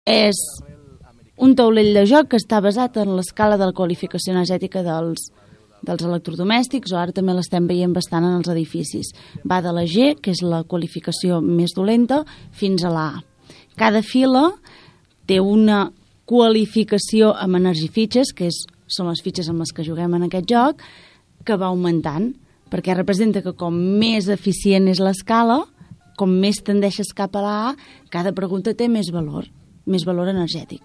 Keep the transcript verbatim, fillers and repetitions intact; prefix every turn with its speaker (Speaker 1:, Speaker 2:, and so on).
Speaker 1: És un taulell de joc que està basat en l'escala de la qualificació energètica dels, dels electrodomèstics, o ara també l'estem veient bastant en els edificis. Va de la G, que és la qualificació més dolenta, fins a la A. Cada fila té una qualificació amb energifitxes, que és, són les fitxes amb les que juguem en aquest joc, que va augmentant, perquè representa que com més eficient és l'escala, com més tendeixes cap a la A, cada pregunta té més valor, més valor energètic.